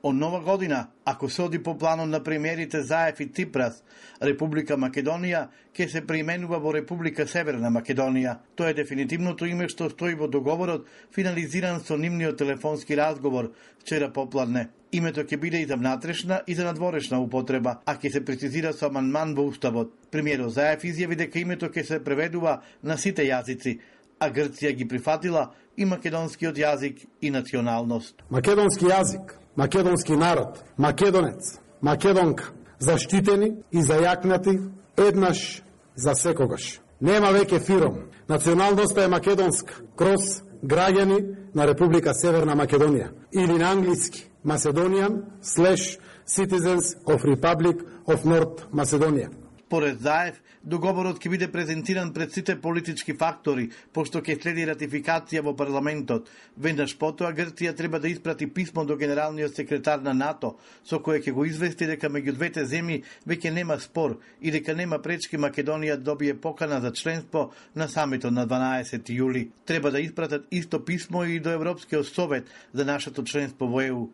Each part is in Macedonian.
Од нова година, ако се оди по планот на премиерите Заев и Ципрас, Република Македонија ќе се преименува во Република Северна Македонија. Тоа е дефинитивното име што стои во договорот, финализиран со нивниот телефонски разговор вчера попладне. Името ќе биде и за внатрешна и за надворешна употреба, а ќе се прецизира со амандман во Уставот. Премиерот Заев изјави дека името ќе се преведува на сите јазици, а Грција ги прифатила и македонскиот јазик и националност. Македонски јазик, македонски народ, македонец, македонка, заштитени и зајакнати еднаш за секогаш. Нема веќе фиром. Националноста е македонска, кроз граѓани на Република Северна Македонија. Или на англиски, Macedonian / Citizens of Republic of North Macedonia. Поред Заев, договорот ќе биде презентиран пред сите политички фактори, пошто ќе следи ратификација во парламентот. Веднаш потоа Грција треба да испрати писмо до генералниот секретар на НАТО, со кое ќе го извести дека меѓу двете земји веќе нема спор и дека нема пречки Македонија да добие покана за членство на самитот на 12 јули. Треба да испратат исто писмо и до Европскиот совет за нашето членство во ЕУ.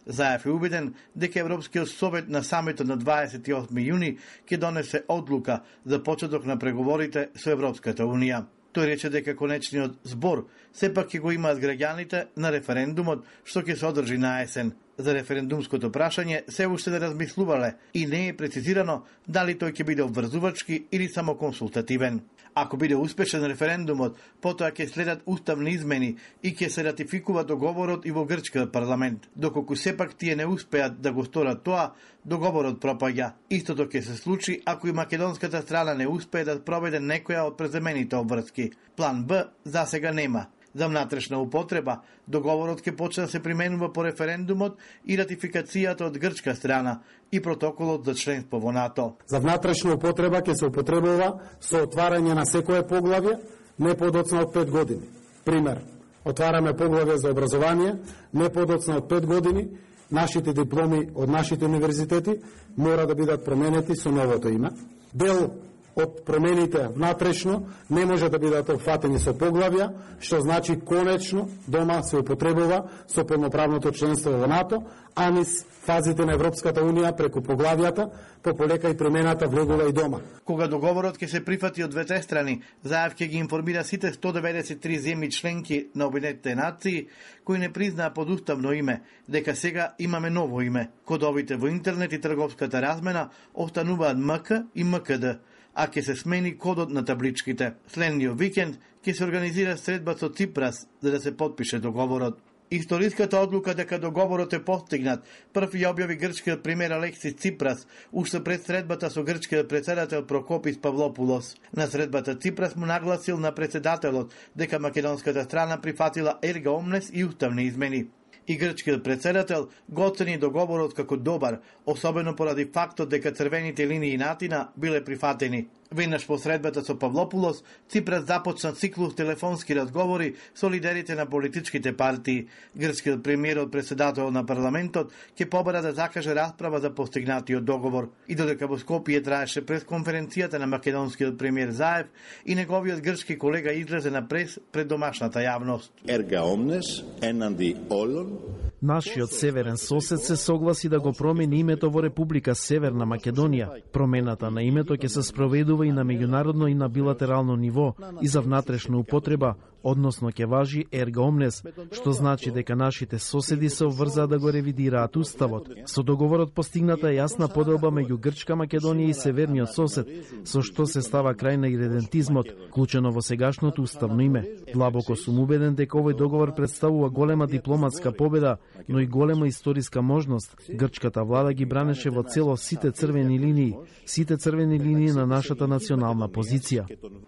Заев е убеден дека Европскиот совет на самитот на 28 јуни ќе донесе одлука за почеток на преговорите со Европската Унија. Тој рече дека конечниот збор сепак ќе го имаат граѓаните на референдумот што ќе се одржи на есен. За референдумското прашање се уште не размислувале и не е прецизирано дали тој ќе биде обврзувачки или само консултативен. Ако биде успешен референдумот, потоа ќе следат уставни измени и ќе се ратификува договорот и во грчкиот парламент. Доколку сепак тие не успеат да го сторат тоа, договорот пропаѓа. Истото ќе се случи ако и македонската страна не успее да проведе некоја од преземените обврски. План Б засега нема. За внатрешна употреба, договорот ќе почне да се применува по референдумот и ратификацијата од грчка страна и протоколот за членство во НАТО. За внатрешна употреба ќе се употребува со отварање на секое поглавје не подоцна од 5 години. Пример, отвараме поглавје за образование не подоцна од 5 години, нашите дипломи од нашите универзитети мора да бидат променети со новото име. Дел од промените внатрешно не може да бидат опфатени со поглавја, што значи конечно дома се употребува со полноправното членство во НАТО, а низ фазите на Европската Унија преку поглавјата, полека и промената влегува и дома. Кога договорот ќе се прифати од двете страни, Заев ќе ги информира сите 193 земји членки на Обединетите нации кои не признаа подуставно име, дека сега имаме ново име. Кодовите во интернет и трговската размена остануваат МК и МКД, а ќе се смени кодот на табличките. Следниот викенд ќе се организира средба со Ципрас за да се потпише договорот. Историската одлука дека договорот е постигнат прв ја објави грчкиот премиер Алексис Ципрас уште пред средбата со грчкиот претседател Прокопис Павлопулос. На средбата Ципрас му нагласил на претседателот дека македонската страна прифатила ерга омнес и уставни измени. И грчкиот претседател го оцени договорот како добар, особено поради фактот дека црвените линии на Атина биле прифатени. Веднаш по средбата со Павлопулос, Ципрас започна циклус телефонски разговори со лидерите на политичките партии. Грчкиот премиерот претседател на парламентот ќе побара да закаже расправа за постигнатиот договор. И додека во Скопје траеше пресконференцијата на македонскиот премиер Заев и неговиот грчки колега излезе на прес пред домашната јавност. Ерга омнес енанди олон. Нашиот северен сосед се согласи да го промени името во Република Северна Македонија. Промената на името ќе се спроведува и на меѓународно и на билатерално ниво и за внатрешна употреба, односно ќе важи ерга омнес, што значи дека нашите соседи се обврзаа да го ревидираат уставот. Со договорот постигната јасна поделба меѓу Грчка Македонија и северниот сосед, со што се става крај на иредентизмот, вклучено во сегашното уставно име. Длабоко сум убеден дека овој договор представува голема дипломатска победа, но и голема историска можност. Грчката влада ги бранеше во цело сите црвени линии на нашата национална позиција.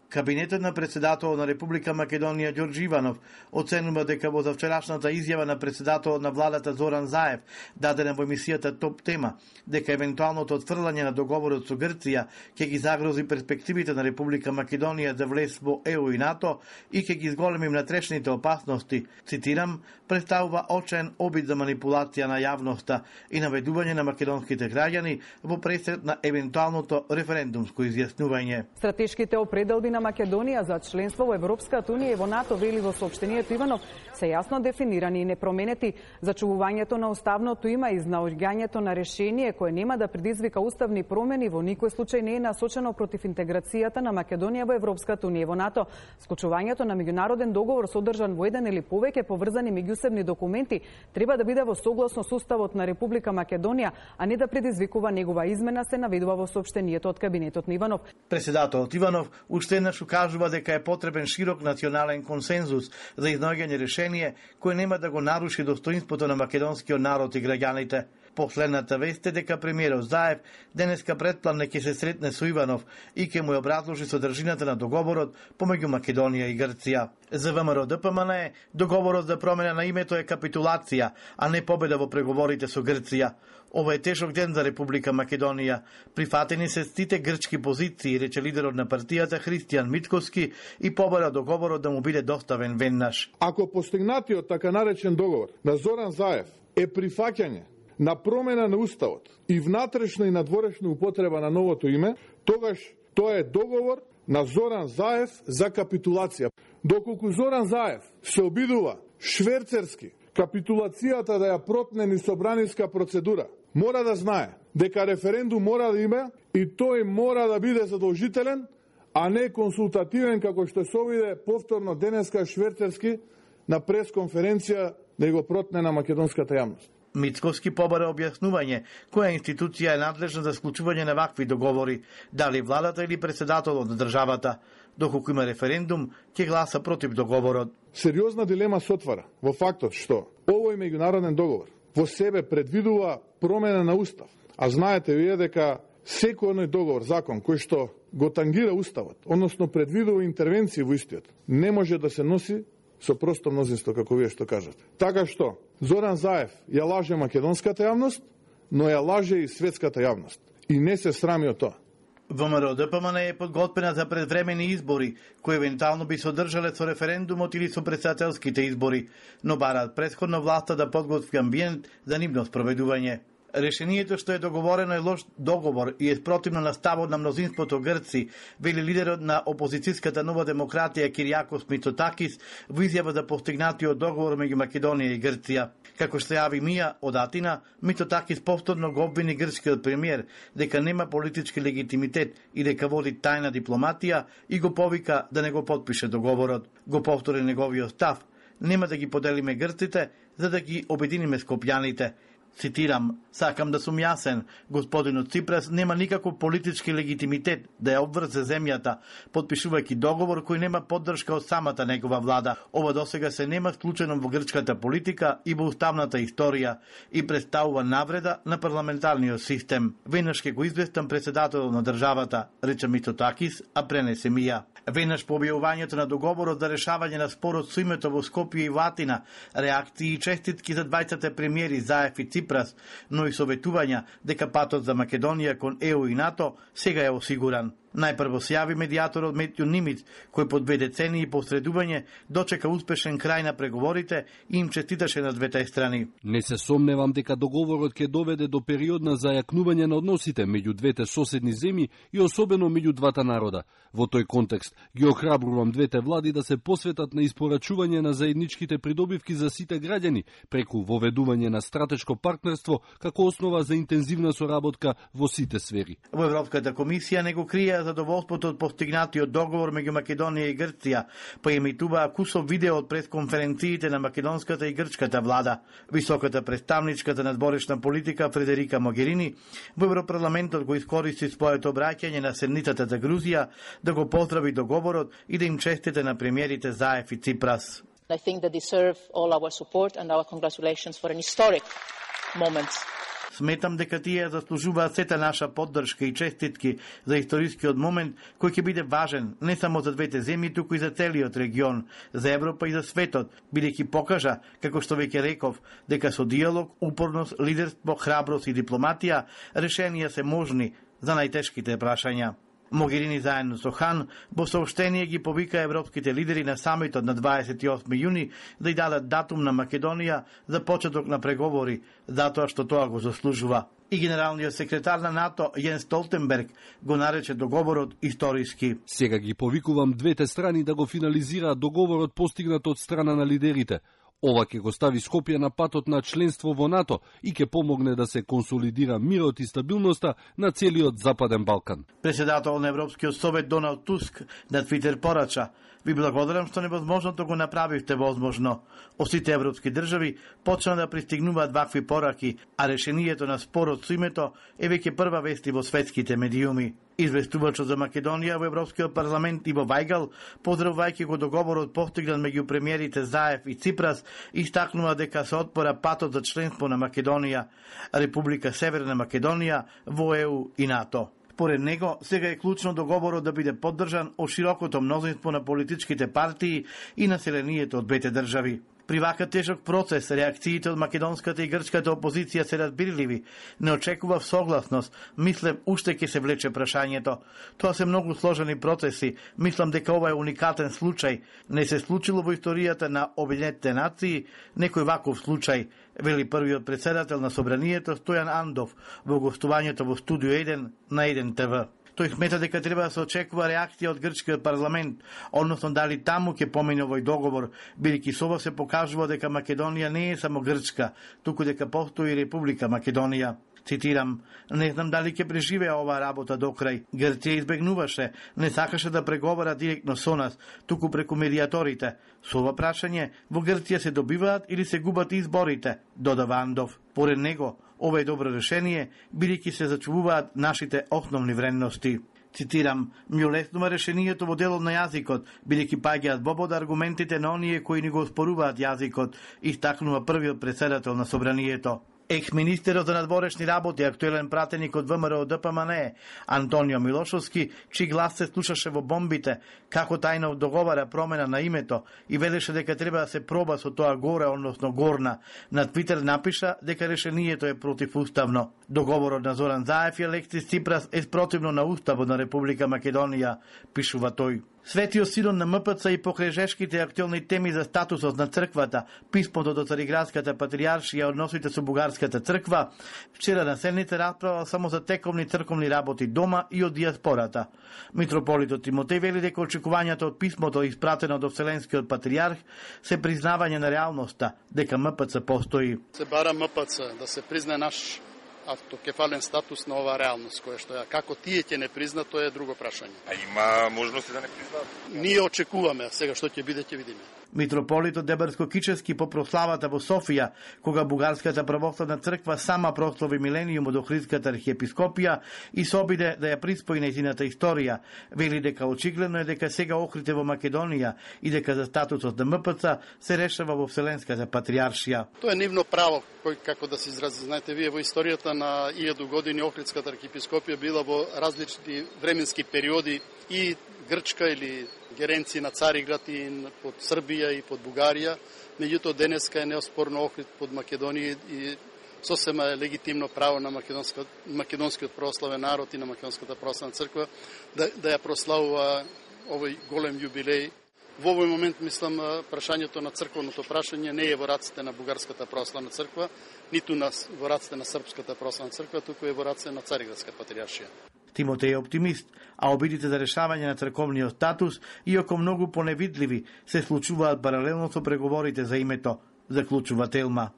Кабинетот на претседателот на Република Македонија Ѓорџи Иванов оценува дека во завчерашната изјава на претседателот на владата Зоран Заев, дадена во емисијата Топ тема, дека евентуалното отфрлање на договорот со Грција ќе ги загрози перспективите на Република Македонија за влез во ЕУ и НАТО и ќе ги изголеми внатрешните опасности, цитирам, представува очен обид за манипулација на јавноста и наведување на македонските граѓани во пресред на евентуалното референдумско изјаснување. Стратешките определби на Македонија за членство во Европската Унија и во НАТО, вели во соопштението Иванов, се јасно дефинирани и непроменети. Зачувувањето на уставното има и наоѓањето на решение кое нема да предизвика уставни промени во никој случај не е насочено против интеграцијата на Македонија во Европската унија и во НАТО. Склучувањето на меѓународен договор содржан во еден или повеќе поврзани меѓусебни документи треба да биде во согласно со Уставот на Република Македонија, а не да предизвикува негова измена, се наведува во соопштението од кабинетот на Иванов. Председателот Иванов уште еднаш укажува дека е потребен широк национален консензус за изнаоѓање решение кое нема да го наруши достоинството на македонскиот народ и граѓаните. Последната вест е дека премиерот Заев денеска предпланне ќе се сретне со Иванов и ќе му ја образложи содржината на договорот помеѓу Македонија и Грција. За ВМРО ДПМН договорот за промена на името е капитулација, а не победа во преговорите со Грција. Ова е тешок ден за Република Македонија. Прифатени се сите грчки позиции, рече лидерот на партијата Христијан Митковски и побара договорот да му биде доставен веднаш. Ако постигнатиот така наречен договор на Зоран Заев е прифаќање на промена на уставот и внатрешна и надворешна употреба на новото име, тогаш тоа е договор на Зоран Заев за капитулација. Доколку Зоран Заев се обидува шверцерски капитулацијата да ја протне низ собраниска процедура, мора да знае дека референдум мора да има и тој мора да биде задолжителен, а не консултативен како што се обиде повторно денеска шверцерски на пресконференција да го протне на македонската јавност. Мицковски побара објаснување која институција е надлежна за склучување на вакви договори, дали владата или председателот на државата. Доколку има референдум, ќе гласа против договорот. Сериозна дилема се отвара во фактот што овој меѓународен договор во себе предвидува промена на устав. А знаете вие дека секој договор, закон кој што го тангира уставот, односно предвидува интервенции во истиот, не може да се носи со просто мнозинство, како вие што кажате. Така што Зоран Заев ја лаже македонската јавност, но ја лаже и светската јавност. И не се срами од тоа. ВМРО ДПМН е подготвена за предвремени избори, кои евентуално би се одржале со референдумот или со претседателските избори, но бараат претходно власта да подготви амбиент за нивно спроведување. Решението што е договорено е лош договор и е спротивно на ставот на мнозинството грци, вели лидерот на опозицијската Нова демократија Киријакос Мицотакис во изјава за постигнатиот договор меѓу Македонија и Грција. Како што јави Мија од Атина, Мицотакис повторно го обвини грчкиот премиер дека нема политички легитимитет и дека води тајна дипломатија и го повика да не го потпише договорот. Го повтори неговиот став: нема да ги поделиме грците за да ги обединиме скопјаните. Цитирам: сакам да сум јасен, господинот Ципрас нема никаков политички легитимитет да ја обврзе земјата, потпишувајќи договор кој нема поддршка од самата негова влада. Ова досега се нема склучено во грчката политика и во уставната историја и представува навреда на парламентарниот систем. Веднаш ќе го известам председателот на државата, рече Мицотакис, а пренесе Мија. Веднаш по објавувањето на договорот за решавање на спорот со името во Скопје и Атина, реакции и честитки за двајцата премиери Заев и Ципрас, но и советувања дека патот за Македонија кон ЕУ и НАТО сега е осигуран. Најпрво се јави медијаторот Метју Нимиц, кој по 2 децении посредување дочека успешен крај на преговорите и им честиташе на двете страни. Не се сомневам дека договорот ќе доведе до период на зајакнување на односите меѓу двете соседни земји и особено меѓу двата народа. Во тој контекст ги охрабрувам двете влади да се посветат на испорачување на заедничките придобивки за сите граѓани преку воведување на стратешко партнерство како основа за интензивна соработка во сите сфери. Во Европската комисија не го крија задоволството од постигнатиот договор меѓу Македонија и Грција, па емитуваа кусов видео од пресконференциите на македонската и грчката влада. Високата представничка за надворешна политика Фредерика Могерини во Европарламентот го искористи своето обраќање на седницата за Грузија да го поздрави договорот и да им честите на премиерите Заев и Ципрас. I think they deserve all our support and our congratulations for an historic moment. Сметам дека тие заслужуваат сета наша поддршка и честитки за историскиот момент кој ќе биде важен не само за двете земји, туку и за целиот регион, за Европа и за светот, бидејќи покажа, како што веќе реков, дека со диалог, упорност, лидерство, храброст и дипломатија решенија се можни за најтешките прашања. Могерини заедно со Хан во сообштение ги повика европските лидери на самитот на 28 јуни да ја дадат датум на Македонија за почеток на преговори, затоа што тоа го заслужува. И генералниот секретар на НАТО Јенс Столтенберг го нарече договорот историски. Сега ги повикувам двете страни да го финализираат договорот постигнат од страна на лидерите. Ова ќе го стави Скопје на патот на членство во НАТО и ќе помогне да се консолидира мирот и стабилноста на целиот Западен Балкан. Председател на Европскиот совет Доналд Туск на Твитер порача: "Ви благодарам што невозможното го направивте возможно. Сите европски држави почна да пристигнуваат вакви пораки, а решението на спорот со името е веќе прва вести во светските медиуми." Известувачот за Македонија во Европскиот парламент Иво Вајгал, поздравувајќи го договорот постигнат меѓу премиерите Заев и Ципрас, истакнува дека се отпора патот за членство на Македонија, Република Северна Македонија во ЕУ и НАТО. Според него, сега е клучно договорот да биде поддржан од широкото мнозинство на политичките партии и населението од двете држави. При вака тежок процес, реакциите од македонската и грчката опозиција се разбирливи. Не очекував согласност. Мислам, уште ќе се влече прашањето. Тоа се многу сложени процеси. Мислам дека ова е уникатен случај. Не се случило во историјата на Обединетите нации некој ваков случај, вели првиот председател на Собранието Стојан Андов во гостувањето во Студио 1 на 1 ТВ. Тој смета дека треба да се очекува реакција од грчкиот парламент, односно дали таму ќе помине овој договор, бидејќи со ова се покажува дека Македонија не е само Грчка, туку дека постои Република Македонија. Цитирам: "Не знам дали ќе преживее оваа работа до крај. Грција избегнуваше, не сакаше да преговара директно со нас, туку преку медиаторите. Со ова прашање, во Грција се добиваат или се губат изборите", додава Андов. Поред него, ова е добро решение, бидејќи се зачувуваат нашите основни вредности. Цитирам: "Ми олеснува решението во делот на јазикот, бидејќи паѓаат во обод аргументите на оние кои ни го оспоруваат јазикот", истакнува првиот председател на Собранието. Екс-министерот за надворешни работи, актуелен пратеник од ВМРО ДПМНЕ, Антонио Милошовски, чиј глас се слушаше во бомбите, како тајно договара промена на името и велеше дека треба да се проба со тоа горе, односно горна. На Твитер напиша дека решението е противуставно. Договорот на Зоран Заев и Алексис Ципрас е спротивно на Уставот на Република Македонија, пишува тој. Светиот Синод на МПЦ и покрај жешките актуелни теми за статусот на црквата, писмото до Цариградската патријаршија, односите со Бугарската црква, вчера на седница расправа само за тековни црковни работи дома и од диаспората. Митрополитот Тимотеј вели дека очекувањето од писмото испратено до Вселенскиот патријарх се признавање на реалноста, дека МПЦ постои. Се бара МПЦ да се признае наш автокефален статус на оваа реалност, која што ја како тие ќе не признат, тоа е друго прашање. А има можности да не признаат? Ние очекуваме, сега што ќе биде, ќе видиме. Митрополитот Дебарско-Кичевски по прославата во Софија, кога Бугарската православна црква сама прослави милениумот до Охридската архиепископија и се обиде да ја приспои нејзината историја, вели дека очигледно е дека сега Охрид е во Македонија и дека за статусот на МПЦ се решава во Вселенската патријаршија. Тоа е нивно право, кој како да се изрази. Знаете, вие во историјата на 1000 години Охридската архиепископија била во различни временски периоди и Грчка или геренци на Цариград и под Србија и под Бугарија. Меѓутоа денеска е неоспорно Охрид под Македонија и сосема е легитимно право на македонскиот православен народ и на македонската православна црква да ја прославува овој голем јубилеј. Во овој момент, мислам, прашањето на црковното прашање не е во раците на Бугарската православна црква, ниту во раците на Српската православна црква, туку е во раците на Цариградска патријаршија. Тимотеј е оптимист, а обидите за решавање на црковниот статус, иако многу поневидливи, се случуваат паралелно со преговорите за името, заклучува Телма.